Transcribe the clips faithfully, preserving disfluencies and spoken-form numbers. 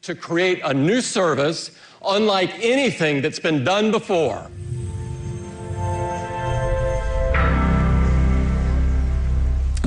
to create a new service unlike anything that's been done before.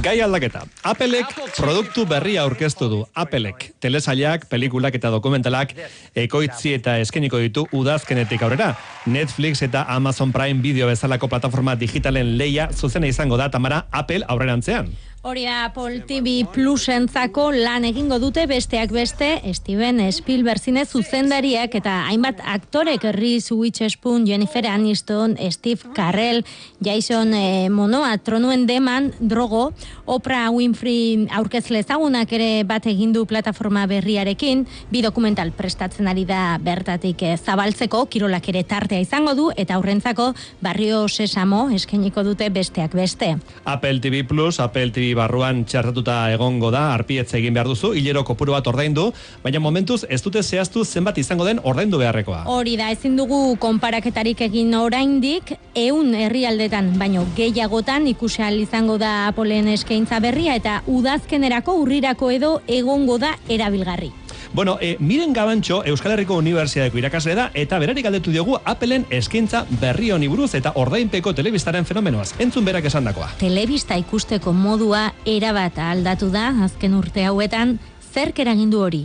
Gai aldaketa. Applek produktu berria aurkeztu du. Applek telesailak, pelikulak eta dokumentalak ekoitzi eta eskeniko ditu udazkenetik aurrera. Netflix eta Amazon Prime Video bezalako plataforma digitalen leia zuzena izango da, Tamara, Apple aurrerantzean. Hori da, Apple T V Plusentzako lan egingo dute besteak beste, Steven Spielberg zine zuzendariak eta hainbat aktorek, Reese Witherspoon, Jennifer Aniston, Steve Carell, Jason eh, Momoa, Tronuen Deman, Drogo, Oprah Winfrey aurkezle ezagunak ere bat egin du plataforma berriarekin, bi dokumental prestatzen ari da bertatik eh, zabaltzeko, kirolak ere tartea izango du, eta aurrentzako Barrio Sesamo eskainiko dute besteak beste. Apple T V Plus, Apple T V barruan txartatuta egongo da, arpietze egin behar duzu, hilero kopuru bat ordaindu, baina momentuz ez dute zehaztu zenbat izango den ordaindu beharrekoa. Hori da, ezin dugu konparaketarik egin oraindik, ehun herrialdetan, baino gehiagotan ikusi ahal izango da Appleen eskaintza berria eta udazkenerako, urrirako edo egongo da erabilgarri. Bueno, e, Miren Gabantxo Euskal Herriko Unibertsitateko irakasle da eta berari galdetu diogu Appleen eskaintza berri honi buruz eta ordainpeko telebistaren fenomenoaz. Entzun berak esandakoa. Telebista ikusteko modua erabat aldatu da azken urte hauetan, zerk eragindu hori?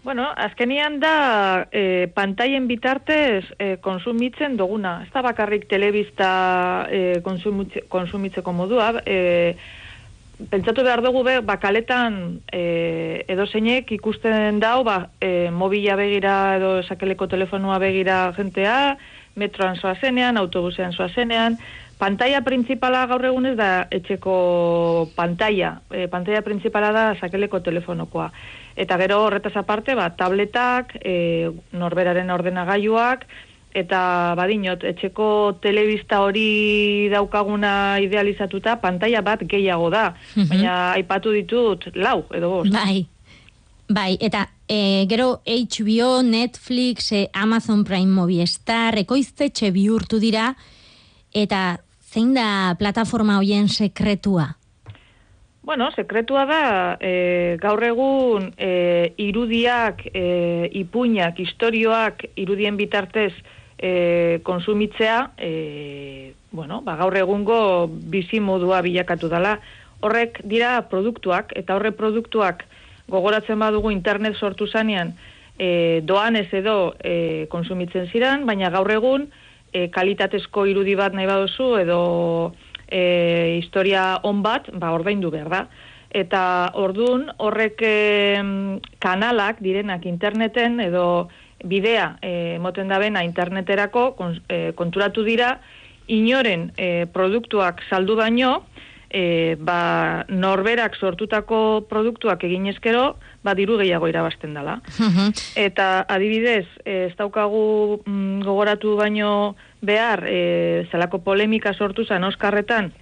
Bueno, azkenian da e, pantaien bitartez e, konsumitzen duguna. Ez da bakarrik telebista e, konsumitzeko modua, e, pentsatu behar dugu be, bakaletan e, edo zeinek ikusten dau, ba, e, mobila begira edo sakeleko telefonua begira jentea, metroan zoazenean, autobusean zoazenean, pantalla principala gaur egunez da etxeko pantalla, e, pantalla principala da sakeleko telefonokoa. Eta gero horretaz aparte, ba, tabletak, e, norberaren ordenagailuak, eta badinot, etxeko telebista hori daukaguna idealizatuta, pantalla bat gehiago da. Mm-hmm. Baina aipatu ditut lau, edo bost. Bai, bai, eta e, gero H B O, Netflix, e, Amazon Prime Movistar, ekoiztetxe bihurtu dira, eta zein da plataforma hoien sekretua? Bueno, sekretua da, e, gaur egun e, irudiak, e, ipuinak, istorioak, irudien bitartez e, konsumitzea, e, bueno, ba, gaur egungo bizi modua bilakatu dela. Horrek dira produktuak, eta horre produktuak gogoratzen badugu internet sortu zanean, e, doanez edo e, konsumitzen ziren, baina gaur egun e, kalitatezko irudi bat nahi baduzu edo E, historia on bat, ba, ordaindu behar da. Eta ordun horrek e, kanalak direnak interneten edo bidea e, moten dabena interneterako kon, e, konturatu dira, inoren e, produktuak saldu baino, e, ba, norberak sortutako produktuak egin ezkero, ba, diru gehiago irabazten dela. Uh-huh. Eta adibidez, e, ez daukagu mm, gogoratu baino behar, e, zelako polemika sortu zen Oskarretan,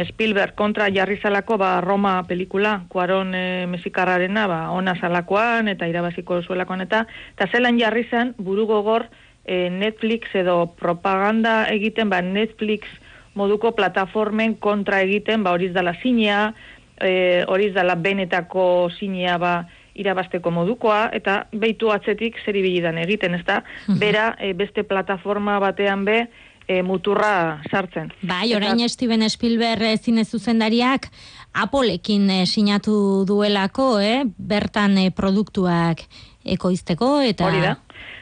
Spielberg kontra jarri zalako, ba, Roma pelikula, Cuarón e, mexikarrarena, ba, ona zalakoan, eta irabaziko zuelakoan, eta, eta zelan jarri zen, buru gogor e, Netflix edo propaganda egiten, ba, Netflix moduko plataformen kontra egiten, ba, horiz dala zinea, e, horiz dala benetako zinea, ba, irabasteko modukoa, eta behitu atzetik zer ibilidan egiten, ez da, bera e, beste plataforma batean be e, muturra sartzen. Bai, orain eta Steven Spielberg zine zuzendariak Appleekin e, sinatu duelako, eh? bertan e, produktuak ekoizteko, eta hori da.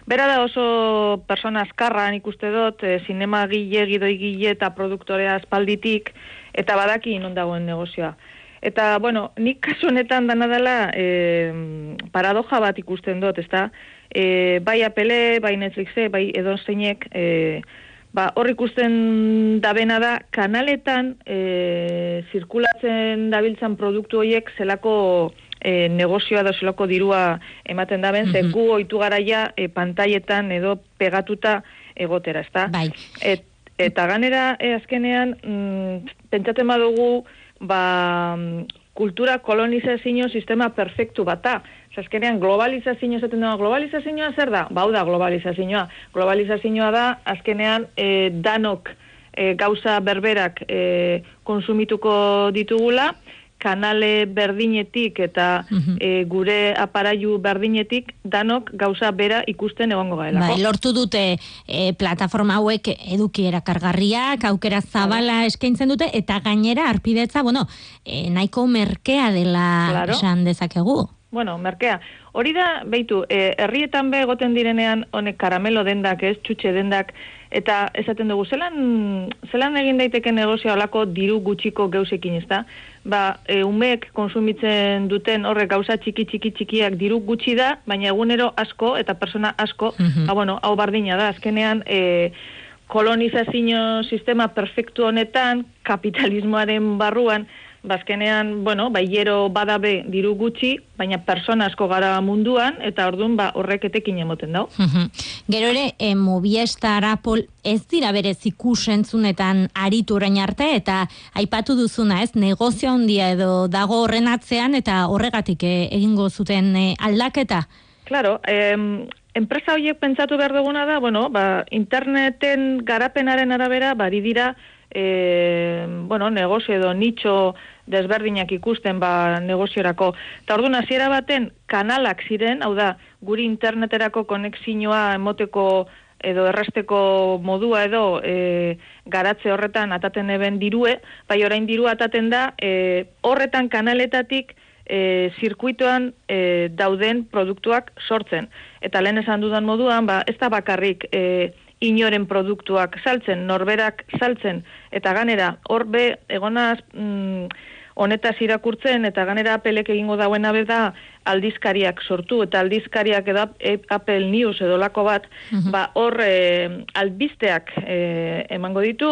Bera da oso persona azkarra, nik uste dut, e, zinema gile, gidoi gile eta produktorea aspalditik, eta badaki non dagoen negozioa. Eta, bueno, nik kasu honetan dana dela e, paradoja bat ikusten dut, ezta? E, bai Apple, bai Netflixe, bai edozeinek, e, ba, hor ikusten dabena da, kanaletan e, zirkulatzen dabiltzan produktu horiek zelako e, negozioa da zelako dirua ematen daben, mm-hmm. ze gu ohitu garaia e, pantaietan edo pegatuta egotera, ezta? Bai. Et, eta ganera, e, azkenean, mm, pentsatzen badugu, ba, kultura kolonizazio sistema perfektu bata. Azkenean globalizazioa zaten da, globalizazioa zer da? Bau da globalizazioa. Globalizazioa da, azkenean e, danok e, gauza berberak e, konsumituko ditugula, kanale berdinetik eta e, gure aparailu berdinetik danok gauza bera ikusten egongo gaelako. Bai, lortu dute e, plataforma hauek eduki erakargarriak, aukera zabala eskaintzen dute, eta gainera arpidetza, bueno, e, nahiko merkea dela Claro. esan dezakegu. Bueno, merkea. Hori da, beitu, eh, herrietan be egoten direnean honek karamelo dendak, ez, txutxe dendak, eta esaten dugu, zelan, zelan egin daiteke negozio alako diru gutxiko geusekin, ez da? Ba, e, umeek konsumitzen duten horrek gauza txiki txiki txikiak diru gutxi da, baina egunero asko eta persona asko, ba, bueno, hau bardina da, azkenean, e, kolonizazio sistema perfektu honetan, kapitalismoaren barruan, bazkenean, bueno, bai hiero badabe diru gutxi, baina persona asko gara munduan, eta orduan ba, horrek etekin emoten dau. Gero ere, e, Movistar, Apple, ez dira berez ikusentzunetan aritu orain arte, eta aipatu duzuna, ez, negozio handia edo dago horren atzean, eta horregatik e, egingo zuten e, aldaketa? Claro, em, enpresa horiek pentsatu behar duguna da, bueno, ba, interneten garapenaren arabera, bari dira, E, bueno, negozio edo nitxo desberdinak ikusten ba negoziorako. Eta orduan hasiera baten kanalak ziren, hau da, guri interneterako konexioa emoteko edo erresteko modua edo e, garatze horretan ataten eben dirue, bai orain dirua ataten da e, horretan kanaletatik e, zirkuitoan e, dauden produktuak sortzen. Eta lehen esan dudan moduan, ba, ez da bakarrik e, inoren produktuak saltzen, norberak saltzen, eta ganera, hor be, egonaz mm, honetaz irakurtzen, eta ganera Applek egingo dauen abe da aldizkariak sortu, eta aldizkariak edo Apple News edo lako bat, uh-huh. ba, hor e, albizteak e, emango ditu,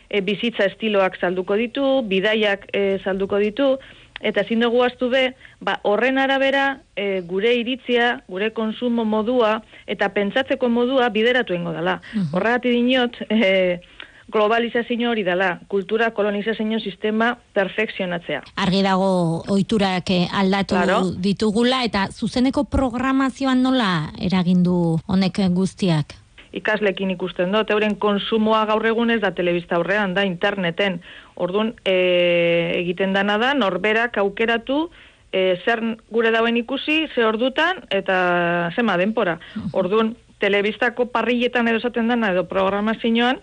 e, bizitza estiloak salduko ditu, bidaiak e, salduko ditu, eta ezin dugu ahaztu be, ba, horren arabera e, gure iritzia, gure konsumo modua eta pentsatzeko modua bideratu ingo dela. Uh-huh. Horregatik dinot, e, globalizazio hori dela, kultura kolonizazio sistema perfekzionatzea. Argi dago ohiturak aldatu claro. ditugula, eta zuzeneko programazioan nola eragindu honek guztiak? Ikaslekin ikusten dut, euren konsumoa gaur egun ez da telebista aurrean, da interneten. Orduan, e, egiten dana da, norberak aukeratu, e, zer gure dauen ikusi, ze ordutan, eta zema denpora. Orduan, telebistako parrilletan edo esaten dana, edo programazioan,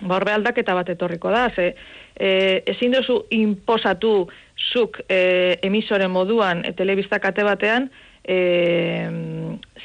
ba horbe aldaketa bat etorriko da, ze e, ezin duzu inposatu zuk e, emisore moduan e, telebista kate batean, E,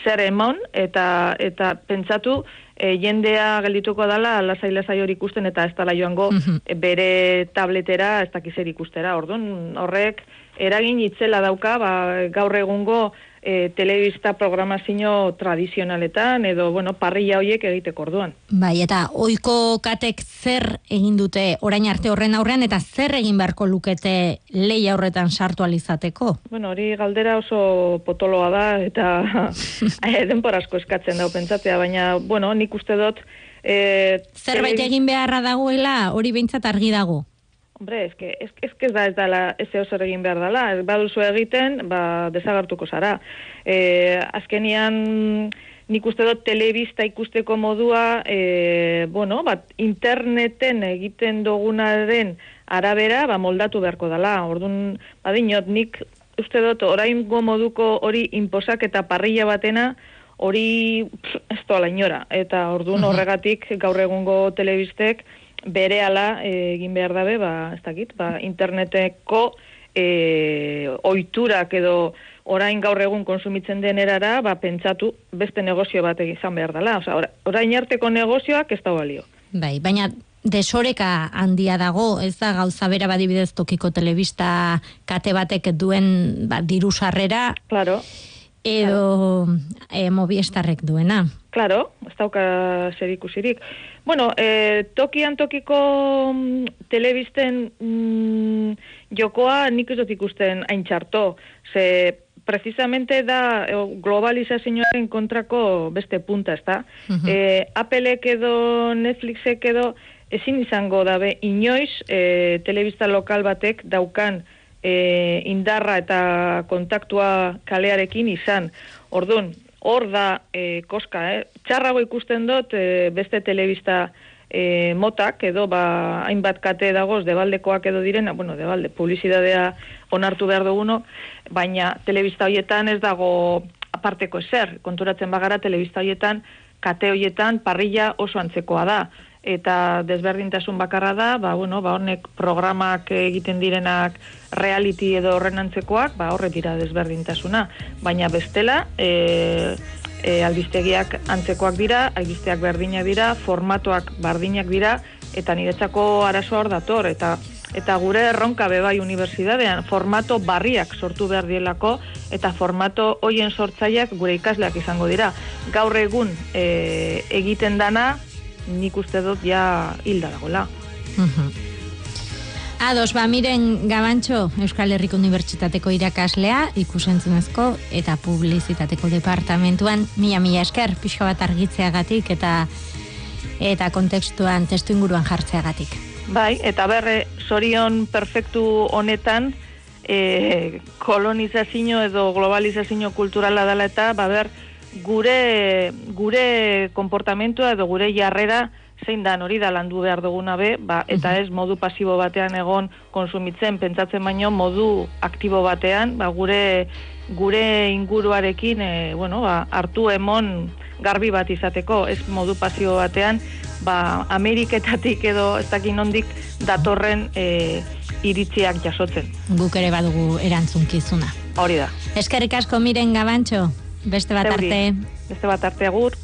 zer emon eta eta pentsatu e, jendea geldituko dala lasai-lasai hori ikusten eta ez dala joango uh-huh. e, bere tabletera ez dakiz zer ikustera. Orduan horrek eragin itzela dauka ba, gaur egungo e, telebista programazio tradizionaletan edo bueno, parrilla horiek egiteko orduan. Bai, eta ohiko katek zer egin dute orain arte horren aurrean eta zer egin beharko lukete leia horretan sartu alizateko? Bueno, hori galdera oso potoloa da eta denbora asko eskatzen dau pentsatzea, baina bueno, nik uste dut e, zerbait tele... egin beharra dagoela, hori behintzat argi dago. Hombre, ez que, ez, ez que ez da ez dala, ez eozer egin behar dela, ez baduzu egiten, ba, desagartuko zara. E, azkenian, nik uste dut telebista ikusteko modua, e, bueno, bat, interneten egiten dugunaren arabera, ba, moldatu beharko dela. Orduan, badinot, nik uste dut, oraingo moduko hori inposak eta parrilla batena, hori pff, ez doala inora. Eta orduan horregatik gaur egungo telebistek, bere ala e, egin behar dabe, ba, ez dakit, ba, interneteko e, oiturak edo orain gaur egun konsumitzen den erara, ba, pentsatu beste negozio bat izan behar dela. Osa, orain arteko negozioak ez da balio. Bai, baina desoreka handia dago, ez da gauza bera badibidez tokiko telebista kate batek duen ba, diru sarrera, claro. edo claro. E, Movistarrek duena. Claro, ez dauka zer ikusirik. Bueno, eh, tokian tokiko mm, telebisten mm, jokoa nik ez dut ikusten hain txarto. Ze precisamente da globalizazioaren kontrako beste punta, ez da? Uh-huh. eh, Applek edo Netflixek edo ezin izango dabe inoiz eh, telebista lokal batek daukan eh, indarra eta kontaktua kalearekin izan. Orduan, hor da e, koska, eh? Txarrago ikusten dut e, beste telebista e, motak edo ba, hainbat kate dagoz debaldekoak edo direna, bueno, debalde, publizidadea onartu behar duguno, baina telebista hoietan ez dago aparteko ezer, konturatzen bagara telebista hoietan, kate hoietan parrilla oso antzekoa da, eta desberdintasun bakarra da, ba, bueno, ba, honek programak egiten direnak reality edo horren antzekoak, ba, horre dira desberdintasuna, baina bestela, e, E, albistegiak antzekoak dira, albisteak berdinak dira, formatoak berdinak dira, eta niretzako arazo hor dator, eta eta gure erronka bebai unibertsitatean, formato barriak sortu behar dielako, eta formato hoien sortzaileak gure ikasleak izango dira. Gaur egun e, egiten dana, nik uste dut ja hilda dagoela. Ados, ba, miren Gabantxo, Euskal Herriko Unibertsitateko irakaslea, ikusentzunezko eta publizitateko departamentuan, mila-mila esker, pixka bat argitzeagatik eta eta kontekstuan, testu inguruan jartzeagatik. Bai, eta berre, zorion perfektu honetan, e, kolonizazio edo globalizazio kulturala dela eta, ba ber, gure, gure konportamentua edo gure jarrera zein da hori da landu behar duguna be, ba, eta ez modu pasibo batean egon konsumitzen, pentsatzen baino modu aktibo batean, ba, gure gure inguruarekin e, bueno, ba, hartu emon garbi bat izateko, ez modu pasibo batean, ba, Ameriketatik edo ez dakin nondik datorren e, iritziak jasotzen. Guk ere badugu erantzunkizuna. Hori da. Eskerrik asko Miren Gabantxo, beste bat arte. Beste bat arte agur.